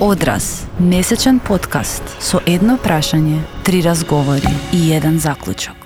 Одраз, месечен подкаст со едно прашање, 3 разговори и еден заклучок.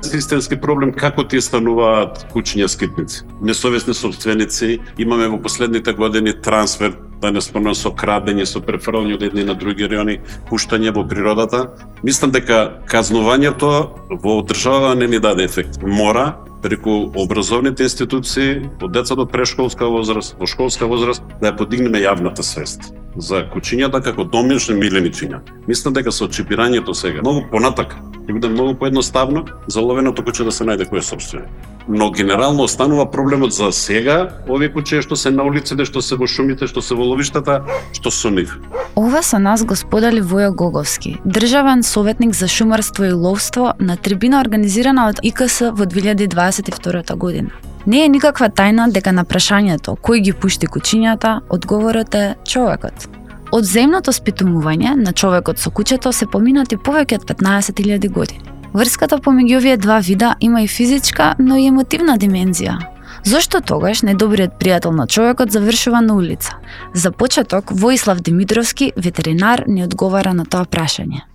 Системски проблем како ти стануваат кучиња скитници. Несовесни сопственици, имаме во последните години трансфер, да не спомнам, со крадење, со префрлање од едни на други райони, пуштање во природата. Мислам дека казнувањето во држава не ни даде ефект. Мора преку образовните институции, од децата од прешколска возраст, во школска возраст, да ја подигнеме јавната свест за кучињата како домашни миленичиња. Мислам дека со чипирањето сега многу понатака ќе биде многу поедноставно за ловеното куче да се најде кој е собственик. Но генерално останува проблемот за сега, овие кучиња што се на улиците, што се во шумите, што се во ловиштата, што со нив. Ова со нас го сподели Војо Гоговски, државен советник за шумарство и ловство на трибина организирана од ИКС во 2022 година. Не е никаква тајна дека на прашањето кој ги пушти кучињата, одговорот е човекот. Од земното спитумување на човекот со кучето се поминати повеќе од 15.000 години. Врската помеѓу овие два вида има и физичка, но и емотивна димензија. Зошто тогаш најдобриот пријател на човекот завршува на улица? За почеток, Воислав Димитровски, ветеринар, ни одговара на тоа прашање.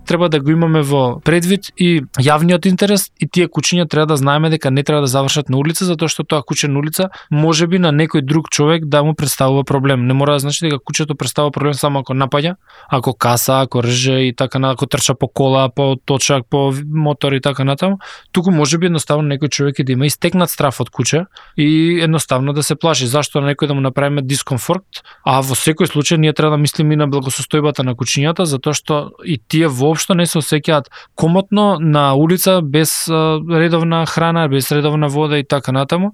Треба да го имаме во предвид и јавниот интерес, и тие кучиња треба да знаеме дека не треба да завршат на улица, затоа што тоа куче на улица можеби на некој друг човек да му представува проблем. Не мора да значи дека кучето представува проблем само ако напаѓа, ако каса, ако рже и така на, ако трча по кола, по точак, по мотор и така натаму. Туку можеби едноставно некој човек и да има истекнат страф од куче и едноставно да се плаши. Зашто некој да му направиме дискомфорт, а во секој случај ние треба да мислиме и на благосостојбата на кучињата, затоа што и тие воопшто не се осеќаат комотно на улица без редовна храна, без редовна вода и така натаму.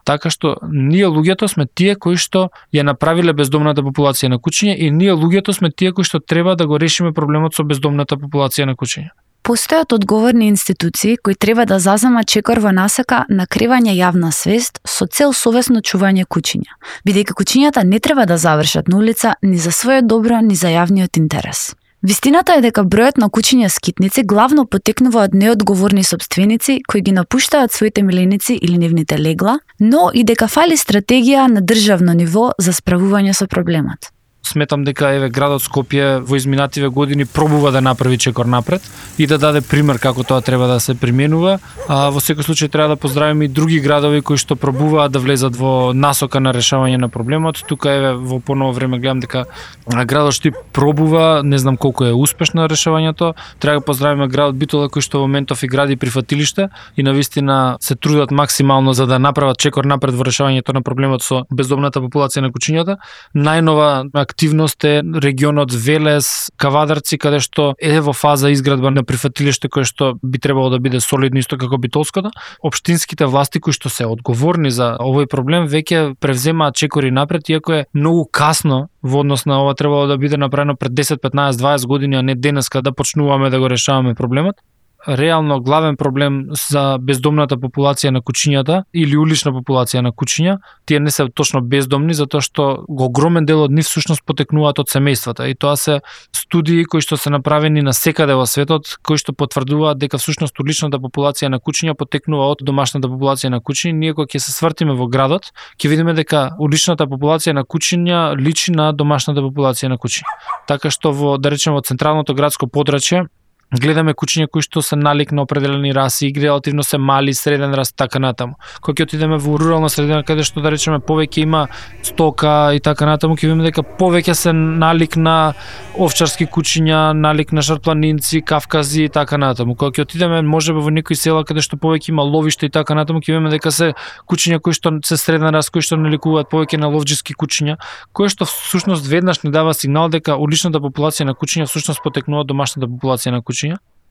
Така што ние луѓето сме тие кои што ја направиле бездомната популација на кучиња и ние луѓето сме тие кои што треба да го решиме проблемот со бездомната популација на кучиња. Постојат одговорни институции кои треба да заземат чекор во насока на кривање јавна свест со цел совесно чување кучиња, бидејќи кучињата не треба да завршат на улица ни за својот добро, ни за јавниот интерес. Вистината е дека бројот на кучиња скитници главно потекнува од неодговорни сопственици кои ги напуштаат своите миленици или нивните легла, но и дека фали стратегија на државно ниво за справување со проблемот. Сметам дека градот Скопје во изминативе години пробува да направи чекор напред и да даде пример како тоа треба да се применува. Во секој случај треба да поздравиме и други градови кои што пробуваат да влезат во насока на решавање на проблемот. Тука во поново време гледам дека градот Штип пробува, не знам колку е успешно решавањето. Треба да поздравиме градот Битола кој што во моментов и гради прифатилиште и навистина се трудат максимално за да направат чекор напред во решавањето на проблемот со бездомната популација на кучињата. Најнова активност е регионот Велес, Кавадарци, каде што е во фаза изградба на прифатилиште кое што би требало да биде солидно исто како Битолското. Општинските власти кои што се одговорни за овој проблем веќе превземаат чекори напред, иако е многу касно во однос на ова требало да биде направено пред 10, 15, 20 години, а не денеска да почнуваме да го решаваме проблемот. Реално главен проблем за бездомната популација на кучињата или улична популација на кучиња, тие не се точно бездомни затоа што огромен дел од нив всушност потекнуваат од семејствата и тоа се студии кои што се направени на секаде во светот кои што потврдуваат дека всушност уличната популација на кучиња потекнува од домашната популација на кучиња. Ние кога ќе се свртиме во градот, ќе видиме дека уличната популација на кучиња личи на домашната популација на кучиња. Така што во, да речеме, во централното градско подрачје гледаме кучиња кои што се налик на определени раси и релативно се мали, среден раст, така натаму. Кога ќе отидеме во рурална средина каде што да речеме повеќе има стока и така натаму, ќе видиме дека повеќе се налик на овчарски кучиња, налик на шарпланинци, кавкази и така натаму. Кога ќе отидеме можеби во некои села каде што повеќе има ловиште и така натаму, ќе видиме дека се кучиња кои што се среден раст, кои што наликуваат повеќе на ловџиски кучиња, кои што всушност веднаш ни дава сигнал дека уличната популација на кучиња всушност потекнува од домашната популација на кучиња.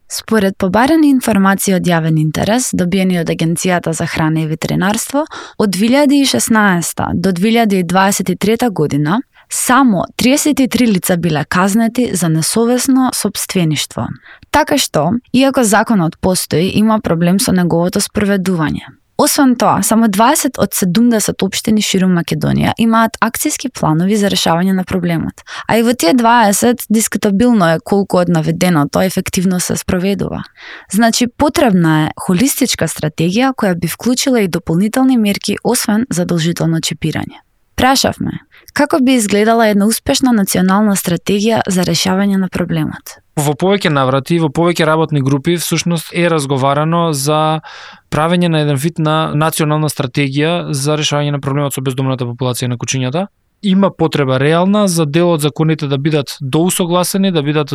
Според побарани информации од јавен интерес, добиени од Агенцијата за храна и ветеринарство, од 2016 до 2023 година, само 33 лица биле казнети за несовесно сопствеништво. Така што, иако законот постои, има проблем со неговото спроведување. Освен тоа, само 20 од 70 општини ширум Македонија имаат акцијски планови за решавање на проблемот. А и во тие 20 дискутабилно е колку од наведеното ефективно се спроведува. Значи, потребна е холистичка стратегија која би вклучила и дополнителни мерки освен задолжително чипирање. Прашавме, како би изгледала една успешна национална стратегија за решавање на проблемот? Во повеќе наврати, во повеќе работни групи, всушност е разговарано за правење на еден вид на национална стратегија за решавање на проблемот со бездомната популација на кучињата. Има потреба реална за дел од законите да бидат доусогласени, да бидат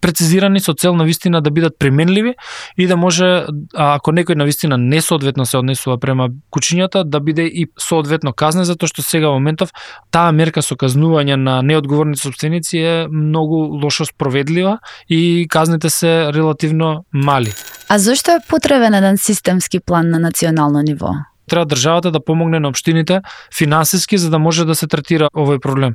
прецизирани со цел навистина да бидат применливи и да може, ако некој навистина несоодветно се однесува према кучињата, да биде и соодветно казнен, затоа што сега во моментов таа мерка со казнување на неодговорни сопственици е многу лошо спроведлива и казните се релативно мали. А зошто е потребен еден системски план на национално ниво? Треба државата да помогне на општините финансиски за да може да се третира овој проблем.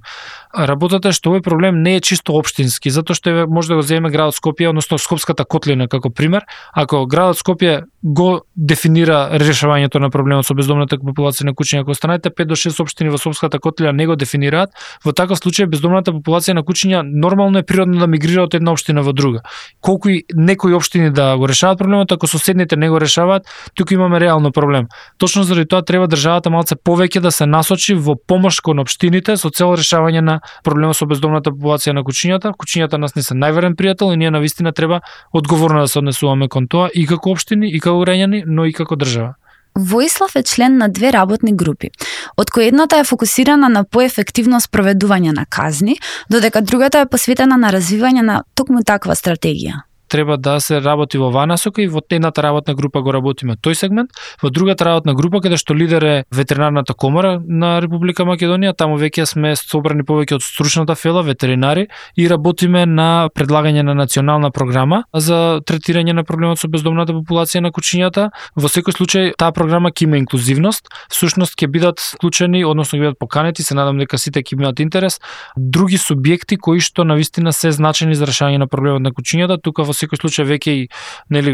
Работата е што овој проблем не е чисто општински, затоа што може да го земеме градот Скопје, односно Скопската котлина како пример. Ако градот Скопје го дефинира решавањето на проблемот со бездомната популација на кучиња, ако останете 5 до 6 општини во Скопската котлина не го дефинираат, во таков случај бездомната популација на кучиња нормално е природно да мигрира од една општина во друга. Колку и некои општини да го решаваат проблемот, ако соседните не го решаваат, тука имаме реално проблем. Точно заради тоа треба државата малце повеќе да се насочи во помош кон општините со цел решавање на проблемот со бездомната популација на кучињата. Кучињата нас не се најверен пријател и ние навистина треба одговорно да се однесуваме кон тоа и како општини, и како граѓани, но и како држава. Воислав е член на 2 работни групи, од кои едната е фокусирана на поефективно спроведување на казни, додека другата е посветена на развивање на токму таква стратегија. Треба да се работи во оваа насока и во едната работна група го работиме тој сегмент, во другата работна група каде што лидер е ветеринарната комора на Република Македонија, таму веќе сме собрани повеќе од стручната фела ветеринари и работиме на предлагање на национална програма за третирање на проблемот со бездомната популација на кучињата. Во секој случај таа програма ќе има инклузивност, всушност ќе бидат вклучени, односно ќе бидат поканети, се надам дека сите ќе имаат интерес, други субјекти кои што навистина се значени за решавање на проблемот на кучињата. Тука во секој случај веќе и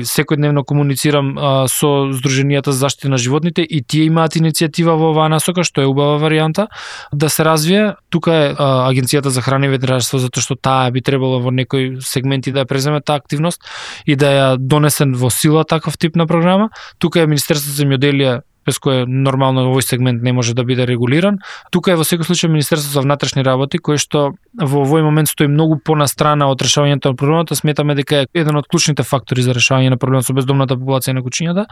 секојдневно комуницирам со Сдруженијата за заштита на животните и тие имаат иницијатива во оваа насока, што е убава варијанта да се развие. Тука е Агенцијата за храна и ветеринарство, затоа што таа би требало во некои сегменти да ја преземе таа активност и да ја донесен во сила таков тип на програма. Тука е Министерството за земјоделие, без кое нормално овој сегмент не може да биде регулиран. Тука е во секој случај Министерството за внатрешни работи, кое што во овој момент стои многу понастрана од решавањето на проблемот, сметаме дека е еден од клучните фактори за решавање на проблемот со бездомната популација на кучињата.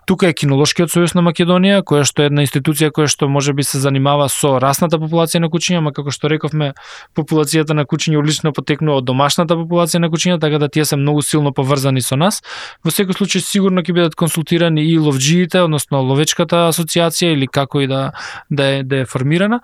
Тука е Кинолошкиот сојуз на Македонија, која што е една институција која што можеби се занимава со расната популација на кучиња, ама како што рековме, популацијата на кучиња лично потекнува од домашната популација на кучиња, така да тие се многу силно поврзани со нас. Во секој случај сигурно ќе бидат консултирани и ловџиите, односно ловечка асоциација или како и да е формирана.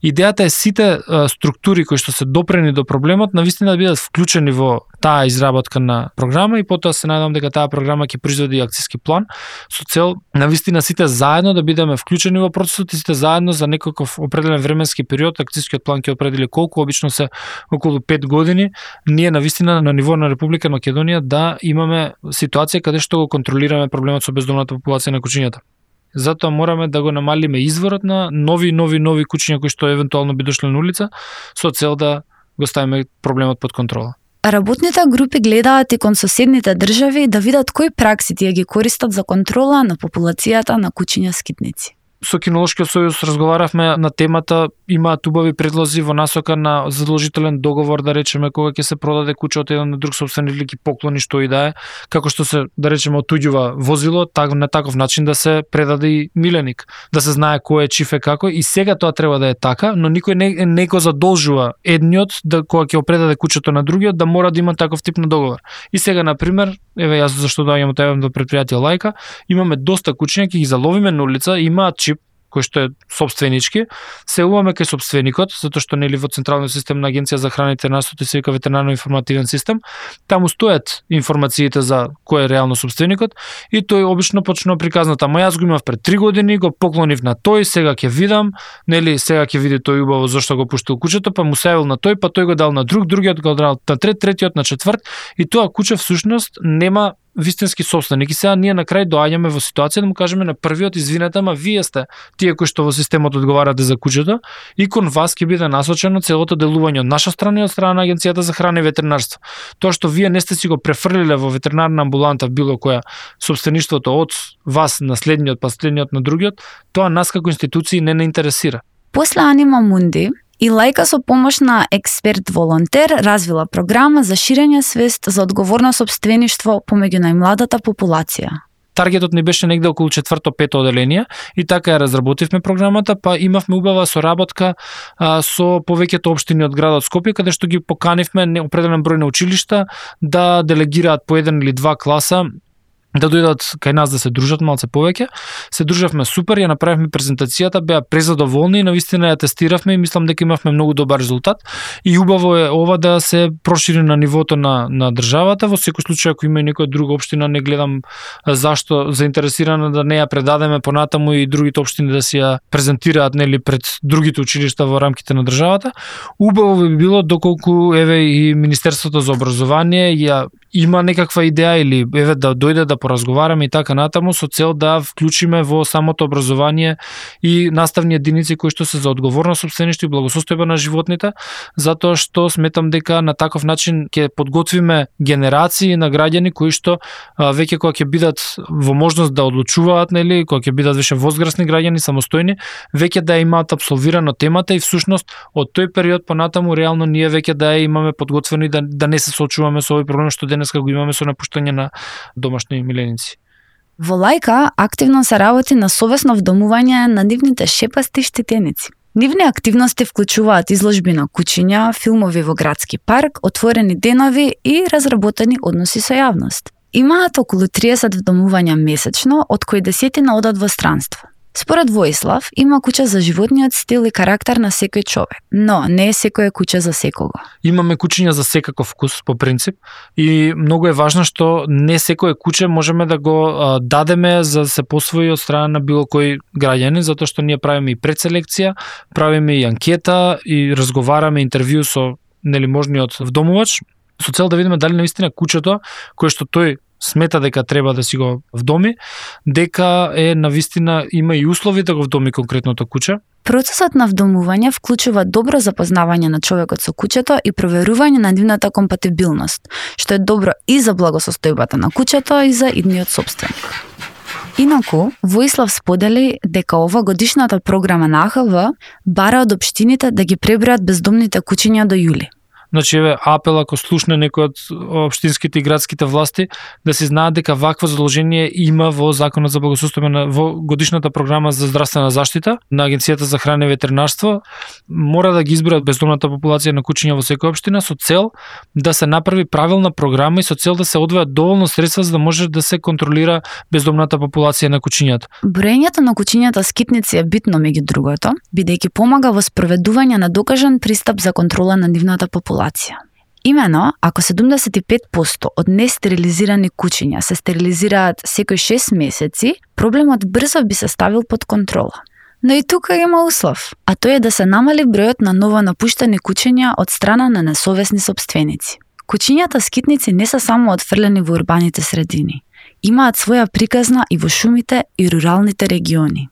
Идејата е сите структури кои што се допрени до проблемот навистина да бидат вклучени во таа изработка на програма и потоа се надевам дека таа програма ќе произведе акциски план со цел навистина сите заедно да бидеме вклучени во процесот и сите заедно за некаков определен временски период. Акцискиот план ќе определи колку, обично се околу 5 години, ние навистина на ниво на Република Македонија да имаме ситуација каде што го контролираме проблемот со бездомната популација на кучињата. Затоа мораме да го намалиме изворот на нови кучиња кои што евентуално би дошле на улица со цел да го ставиме проблемот под контрола. Работните групи гледаат и кон соседните држави да видат кои пракси тие ги користат за контрола на популацијата на кучиња скитници. Со Кинолошкиот сојуз разговаравме на темата, имаат убави предлози во насока на задолжителен договор, да речеме, кога ќе се продаде куче од еден на друг сопственик или ќе поклони што и да е, како што се, да речеме, отуѓува возило, на таков начин да се предаде и миленик, да се знае кој е чиф е како, и сега тоа треба да е така, но никој не го задолжува едниот да кога ќе предаде кучето на другиот да мора да има таков тип на договор. И сега на пример, еве јас зашто доаѓам од евентно предпријатие Лајка, имаме доста кучиња, ќе ги заловиме на улица, имаат чип кој што е сопственички, се уваме кај сопственикот, затоа што нели во централниот систем на Агенција за храна и ветеринарство се вика ветеринарно-информативен систем, таму стојат информациите за кој е реално сопственикот и тој обично почнува приказната, ама јас го имав пред 3 години, го поклонив на тој, сега ќе видам, нели сега ќе види тој убаво зошто го пуштил кучето, па му се јавил на тој, па тој го дал на друг, другиот го дал на трет, третиот на четврт, и тоа куче всушност нема вистински собственик. И сега ние на крај доаѓаме во ситуација да му кажеме на првиот, извинете, ама вие сте тие кои што во системот одговарате за кучето и кон вас ќе биде насочено целото делување од наша страна и од страна на Агенцијата за храна и ветеринарство. Тоа што вие не сте си го префрлиле во ветеринарна амбуланта било која собствеништвото од вас на следниот, па следниот на другиот, тоа нас како институции не интересира. После Анима Мунди, и Лајка со помош на експерт-волонтер развила програма за ширење свест за одговорно сопствеништво помеѓу најмладата популација. Таргетот ни беше негде околу 4-5 оделение и така ја разработивме програмата, па имавме убава соработка со повеќето општини од градот Скопје, каде што ги поканивме определен број на училишта да делегираат по 1 или 2 класа да дојдат кај нас да се дружат малце повеќе. Се дружавме супер, ја направивме презентацијата, беа презадоволни и навистина ја тестиравме и мислам дека имавме многу добар резултат. И убаво е ова да се прошири на нивото на државата. Во секој случај, ако има и некоја друга општина, не гледам зашто заинтересирана да не ја предадеме понатаму и другите општини да си ја презентираат нели пред другите училишта во рамките на државата. Убаво би било доколку еве и Министерството за образование ја има некаква идеја или еве да дојде да поразговараме и така натаму со цел да вклучиме во самото образование и наставни единици кои што се за одговорно сопствеништво и благосостојба на животните, затоа што сметам дека на таков начин ќе подготвиме генерации на граѓани кои што веќе кога ќе бидат во можност да одлучуваат, нели, кога ќе бидат више возрастни граѓани, самостојни, веќе да имаат апсолвирано темата и всушност од тој период понатаму реално ние веќе да ја имаме подготвено и да не се соочуваме со овој проблем што денеска го имаме со напуштање на домашни миленици. Во Лајка активно се работи на совесно вдомување на нивните шепасти штетеници. Нивни активности вклучуваат изложби на кучиња, филмови во градски парк, отворени денови и разработени односи со јавност. Имаат околу 30 вдомувања месечно, од кои 10 одат во странство. Според Воислав, има куќа за животниот стил и карактер на секој човек, но не е секоја куќа за секого. Имаме кучиња за секаков вкус, по принцип, и многу е важно што не секое куче можеме да го дадеме за да се посвои од страна на било кој граѓанин, затоа што ние правиме и предселекција, правиме и анкета и разговараме интервју со нели можниот вдомувач, со цел да видиме дали наистина кучето кое што тој смета дека треба да си го вдоми, дека е навистина има и услови да го вдоми конкретното куче. Процесот на вдомување вклучува добро запознавање на човекот со кучето и проверување на нивната компатибилност, што е добро и за благосостојбата на кучето и за идниот сопственик. Инаку, Воислав сподели дека ова годишната програма на АХВ бара од општините да ги пребројат бездомните кучиња до јули. Значи, апел ако слушне некој од општинските и градските власти, да се знаат дека вакво задолжение има во Законот за благосостојба во годишната програма за здравствена заштита на Агенцијата за храна и ветеринарство. Мора да ги избројат бездомната популација на кучиња во секоја општина со цел да се направи правилна програма и со цел да се одвојат доволно средства за да може да се контролира бездомната популација на кучињата. Броењето на кучињата скитници е битно меѓу другото, бидејќи помага во спроведување на докажан пристап за контрола на нивната популација. Имено, ако 75% од нестерилизирани кучиња се стерилизираат секој 6 месеци, проблемот брзо би се ставил под контрола. Но и тука има услов, а тој е да се намали бројот на ново напуштени кучиња од страна на несовесни сопственици. Кучињата скитници не се само отфрлени во урбаните средини. Имаат своја приказна и во шумите и руралните региони.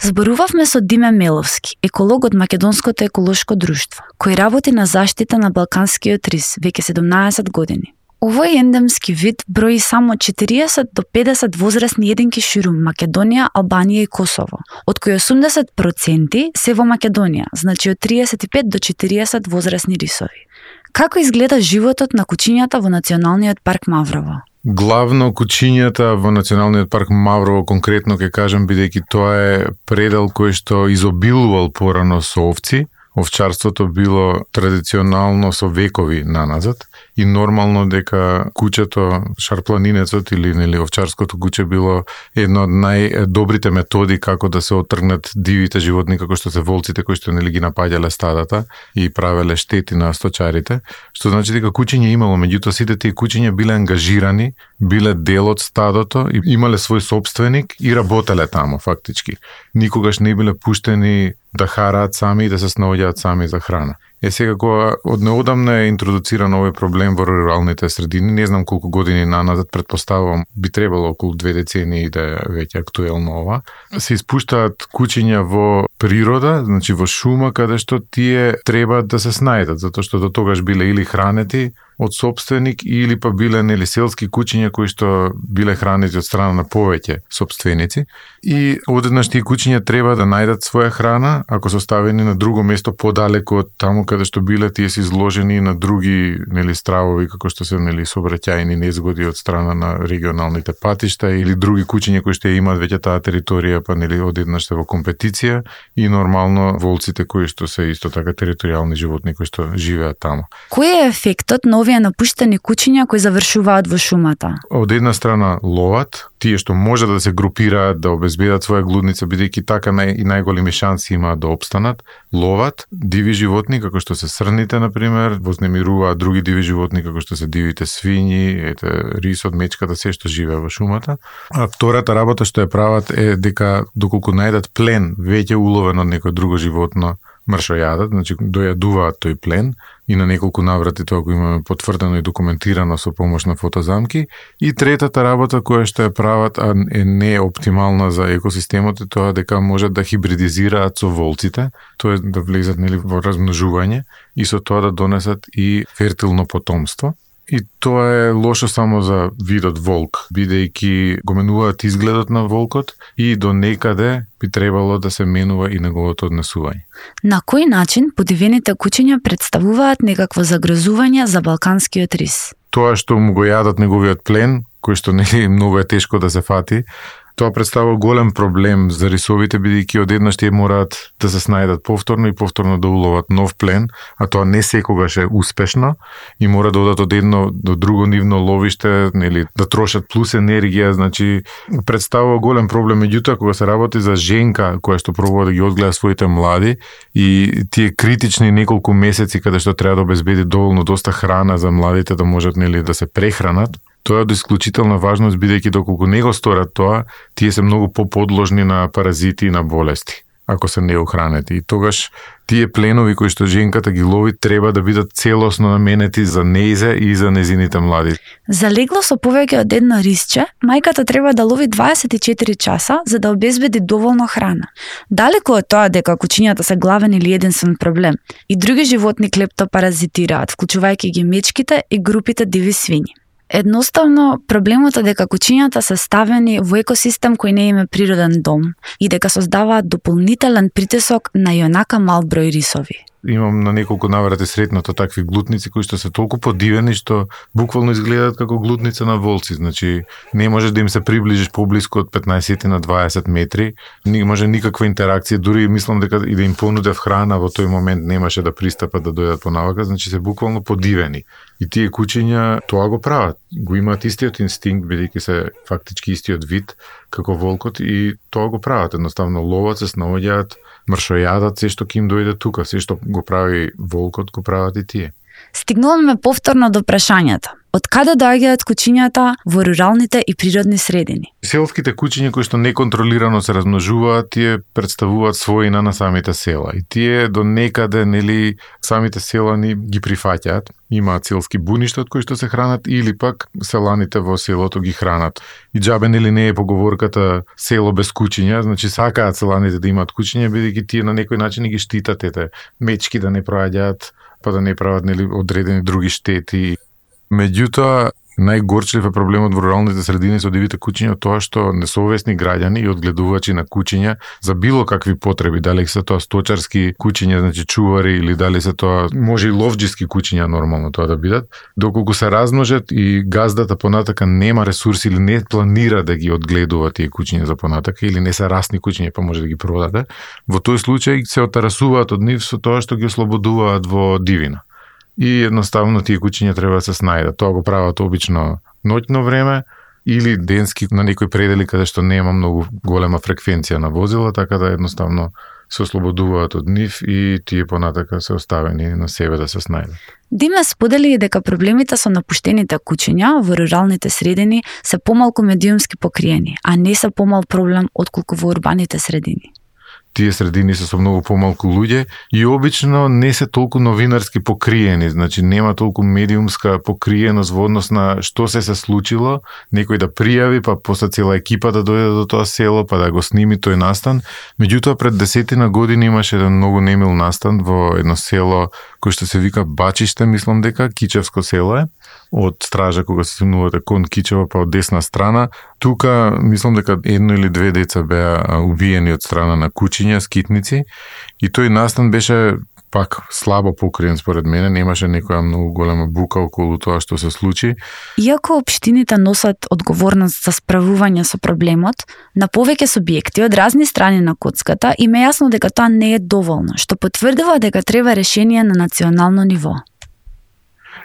Зборувавме со Диме Меловски, еколог од Македонското еколошко друштво, кој работи на заштита на балканскиот рис веќе 17 години. Овој ендемски вид брои само 40 до 50 возрастни единки ширум Македонија, Албанија и Косово, од кои 80% се во Македонија, значи од 35 до 40 возрастни рисови. Како изгледа животот на кучињата во Националниот парк Маврово? Главно кучињата во Националниот парк Маврово, конкретно ќе кажам, бидејќи тоа е предел кој што изобилувал порано со овци. Овчарството било традиционално со векови наназад и нормално дека кучето, шарпланинецот или овчарското куче било една од најдобрите методи како да се отргнат дивите животни како што се волците кои што ги напаѓале стадата и правеле штети на сточарите, што значи дека кучиња имало, меѓутоа сите тие кучиња биле ангажирани, биле дел од стадото и имале свој сопственик и работеле таму фактички. Никогаш не биле пуштени да хараат сами и да се снаоѓаат сами за храна. Сега кога од неодамна е интродуциран овој проблем во руралните средини, не знам колку години наназад, предпоставувам би требало околу 2 децении да е веќе актуелно ова, се испуштаат кучиња во природа, значи во шума, каде што тие треба да се снајдат, затоа што до тогаш биле или хранети од сопственик или па биле нели селски куќиња кои што биле хранети од страна на повеќе сопственици и одеднаш тие куќиња треба да најдат своја храна, ако се оставени на друго место подалеку од таму каде што биле, тие се изложени на други нели стравови како што се нели сообраќајни незгоди од страна на регионалните патишта или други куќиња кои што имаат веќе таа територија, па нели одеднаш се во компетиција и нормално волците кои што се исто така територијални животни кои што живеат таму. Кој е ефектот на овие напуштени куќиња кои завршуваат во шумата? Од една страна ловат, тие што може да се групираат, да обезбедат своја глудница, бидејќи така и најголеми шанси имаат да опстанат, ловат диви животни како што се срните на пример, вознемируваат други диви животни како што се дивите свињи, рисот, мечката, се што живее во шумата. А втората работа што ја прават е дека доколку најдат плен веќе уловен од некој друго животно, мршојадат, значи дојадуваат тој плен и на неколку наврати тоа го имаме потврдено и документирано со помош на фотозамки. И третата работа која што ја прават, а не е оптимална за екосистемот, е тоа дека можат да хибридизираат со волците, тоа е да влезат нели во размножување и со тоа да донесат и фертилно потомство. И тоа е лошо само за видот волк, бидејќи го менуваат изгледот на волкот и до некаде би требало да се менува и неговото однесување. На кој начин подивените куќиња представуваат некакво загрозување за балканскиот рис? Тоа што му го јадат неговиот плен, кој што нели многу е тешко да се фати, тоа представува голем проблем за рисовите, бидејќи одеднаш тие мораат да се снајдат повторно и повторно да уловат нов плен, а тоа не секогаш е успешно и мора да одат од едно до друго нивно ловиште, нели да трошат плюс енергија, значи представува голем проблем. Меѓутоа кога се работи за женка која што пробува да ги одгледа своите млади и тие критични неколку месеци каде што треба да обезбеди доволно доста храна за младите да можат нели да се прехранат, тоа е од исклучителна важност, бидејќи доколку не го сторат тоа, тие се многу поподложни на паразити и на болести, ако се неохранети. И тогаш тие пленови кои што женката ги лови треба да бидат целосно наменети за нејзе и за незините млади. За легло со повеќе од едно рисче, мајката треба да лови 24 часа за да обезбеди доволно храна. Далеку од тоа дека куќињата се главен или единствен проблем, и други животни клептопаразитираат, вклучувајќи ги мечките и групите диви свињи. Едноставно, проблемот е дека куќињата се ставени во екосистем кој не има природен дом и дека создаваат дополнителен притисок на јонака мал број рисови. Имам на неколку наврати сретнато такви глутници кои што се толку подивени што буквално изгледаат како глутница на волци, значи не можеш да им се приближиш поблиску од 15 на 20 метри, не може никаква интеракција, дури мислам дека и да им понудев храна во тој момент немаше да пристапат да дојдат понавака, значи се буквално подивени. И тие куќиња тоа го прават, го имаат истиот инстинкт, бидејќи се фактички истиот вид како волкот и тоа го прават, едноставно ловат, се снаоѓаат, мршојадат се што ќе им дојде тука, се што го прави волкот, го прават и тие. Стигнуваме повторно до прашањето. Од каде доаѓаат куќињата во руралните и природни средини? Селските куќиња кои што неконтролирано се размножуваат, тие представуваат својина на самите села. И тие до некаде, нели, самите селани ги прифаќаат. Имаат селски буништа од кои што се хранат или пак селаните во селото ги хранат. И џабе нели не е поговорката село без куќиња, значи сакаат селаните да имаат куќиња, бидејќи тие на некој начин ги штитат ете мечки да не проаѓаат, па да не прават нели одредени други штети. Меѓутоа, најгорчлив е проблемот во руралните средини со дивите куќиња тоа што несовесни граѓани и одгледувачи на куќиња за било какви потреби, дали се тоа сточарски куќиња, значи чувари, или дали се тоа може и ловџиски куќиња нормално тоа да бидат, доколку се размножат и газдата понатака нема ресурси или не планира да ги одгледува тие куќиња за понатака или не се расни куќиња па може да ги продаде, во тој случај се отарасуваат од нив со тоа што ги ослободуваат во дивина. И едноставно тие куќиња треба да се снајдат. Тоа го прават обично ноќно време или денски на некои предели каде што нема многу голема фреквенција на возила, така да едноставно се ослободуваат од нив и тие понатака се оставени на себе да се снајдат. Диме сподели дека проблемите со напуштените куќиња во руралните средини се помалку медиумски покриени, а не се помал проблем отколку во урбаните средини. тие средини се со многу помалку луѓе и обично не се толку новинарски покриени, значи нема толку медиумска покриеност во однос на што се случило, некој да пријави, па после цела екипа да дојде до тоа село, па да го сними тој настан. Меѓутоа пред 10 години имаше еден многу немил настан во едно село кој што се вика Бачиште, мислам дека Кичевско село е, од стража кога се симнувате кон Кичева, па од десна страна. Тука мислам дека 1 или 2 деца беа убиени од страна на кучиња, скитници, и тој настан беше пак слабо покриен според мене, немаше некоја многу голема бука околу тоа што се случи. Иако општините носат одговорност за справување со проблемот, на повеќе субјекти од разни страни на коцката им е јасно дека тоа не е доволно, што потврдува дека треба решение на национално ниво.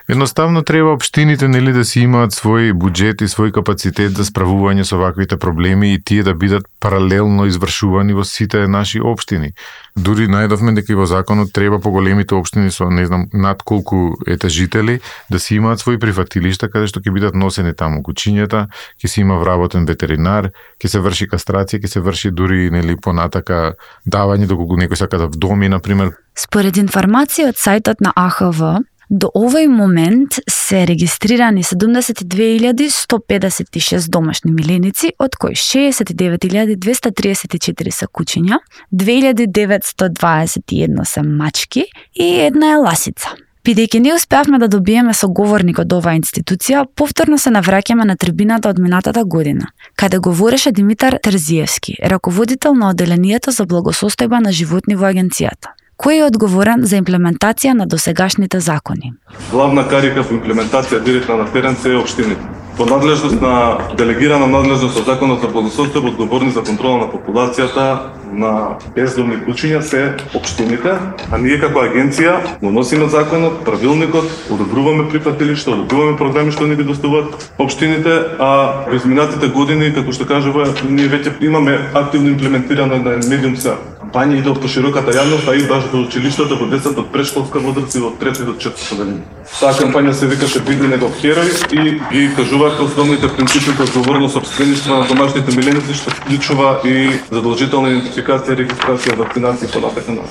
Едноставно треба општините нели да си имаат свој буџет и свој капацитет за справување со ваквите проблеми и тие да бидат паралелно извршувани во сите наши општини. Дури најдовме дека и во законот треба поголемите општини со не знам над колку етажители да си имаат свои прифатилишта каде што ќе бидат носени таму кучињата, ќе си има вработен ветеринар, ќе се врши кастрација, ќе се врши дури нели понатака давање доколку некој сака да вдоми на пример. Според информација од сајтот на АХВ, до овој момент се регистрирани 72.156 домашни миленици, од кои 69.234 се кучиња, 2.921 се мачки и една е ласица. Бидејќи не успеавме да добиеме соговорник од оваа институција, повторно се навраќаме на трибината од минатата година, каде говореше Димитар Терзиевски, раководител на оделението за благосостојба на животни во агенцијата. Кој е одговорен за имплементација на досегашните закони? Главна карика во имплементација директна на терен се е општините. По надлежност на делегирана надлежност од Законот за благосостојба, одговорни за контрола на популацијата на бездомни кучиња се општините, а ние како агенција го носиме законот, правилникот, одобруваме прифатилишта, одобруваме програми што ни ги доставуваат општините, а во изминатите години, како што кажува, ние веќе имаме активно имплементирана на медиумска кампања и до пошироката јавност, а и баш до училиштата во децата од претшколска возраст и од 3 до 4 години. Таа кампања се викаше Биди негов херој и ги кажуваат основните принципи за одговорно сопствеништво на домашните миленици, што вклучува и задолжителна идентификација, регистрација, вакцинација и понатака на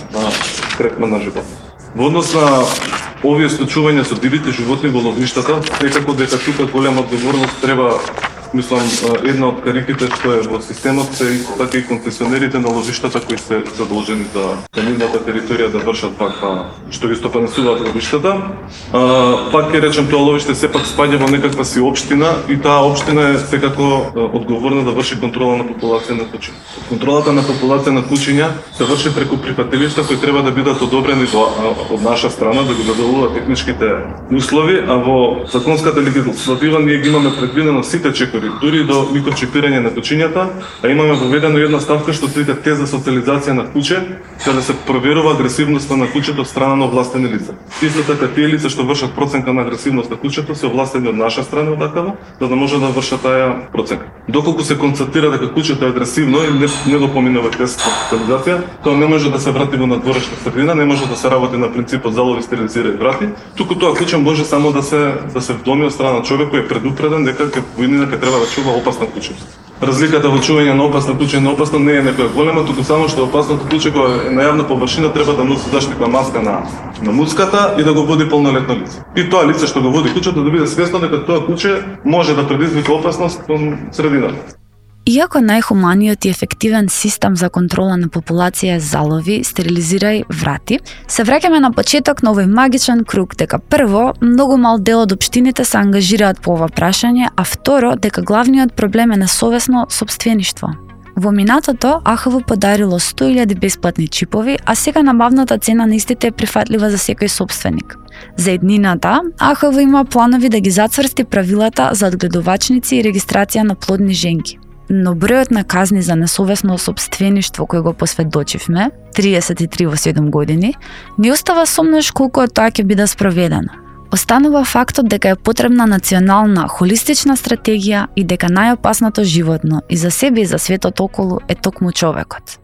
третман на живот. Во однос на овие случувања со дивите животни во ловиштата, секако дека тука голема одговорност треба. Мислам, една од кариките што е во системот се и така и концесионерите на ловиштата кои се задолжени да на нивната територија да вршат ваква што ги стопанисуваат ловиштата. Пак ќе речем тоа ловиште сепак спаѓа во некаква си општина и таа општина е секако одговорна да врши контрола на популација на кучиња. Контролата на популација на кучиња се врши преку прифатилишта кои треба да бидат одобрени од наша страна да го задоволуваат техничките услови, а во законската легислатива ние ги имаме предвидено сите чекори, дури до микрочипирање на кучињата, а имаме воведено една ставка што се вика тест за социализација на куче, каде се проверува агресивноста на кучето од страна на овластени лица. Исто така тие лица што вршат проценка на агресивност на кучето се овластени од наша страна одакава, за да може да вршат таа проценка. Доколку се констатира дека кучето е агресивно и не го поминува тест за социализација, тоа не може да се врати во надворешна средина, не може да се работи на принципот залови, стерилизира и врати, туку тоа куче може само да се вдоми од страна на човек кој е предупреден дека војнина треба да чува опасна куче. Разликата во чување на опасна куче и неопасна не е некоја голема, туку само што опасното куче кога е на јавна површина треба да носи заштитна маска на муцката и да го води полнолетно лице. И тоа лице што го води кучето да биде свесно дека тоа куче може да предизвика опасност кон средината. Иако најхуманиот и ефективен систем за контрола на популација е залови, стерилизирај, врати, се враќаме на почеток на овој магичен круг дека прво, многу мал дел од општините се ангажираат по ова прашање, а второ, дека главниот проблем е несовесно сопствеништво. Во минатото, АХВ подарило 100.000 бесплатни чипови, а сега набавната цена на истите е прифатлива за секој сопственик. За еднината, АХВ има планови да ги зацврсти правилата за одгледувачници и регистрација на плодни женки. Но бројот на казни за несовесно сопствеништво кој го посведочивме, 33 во 7 години, не остава сомнеш колку од тоа ќе биде спроведено. Останува фактот дека е потребна национална, холистична стратегија и дека најопасното животно и за себе и за светот околу е токму човекот.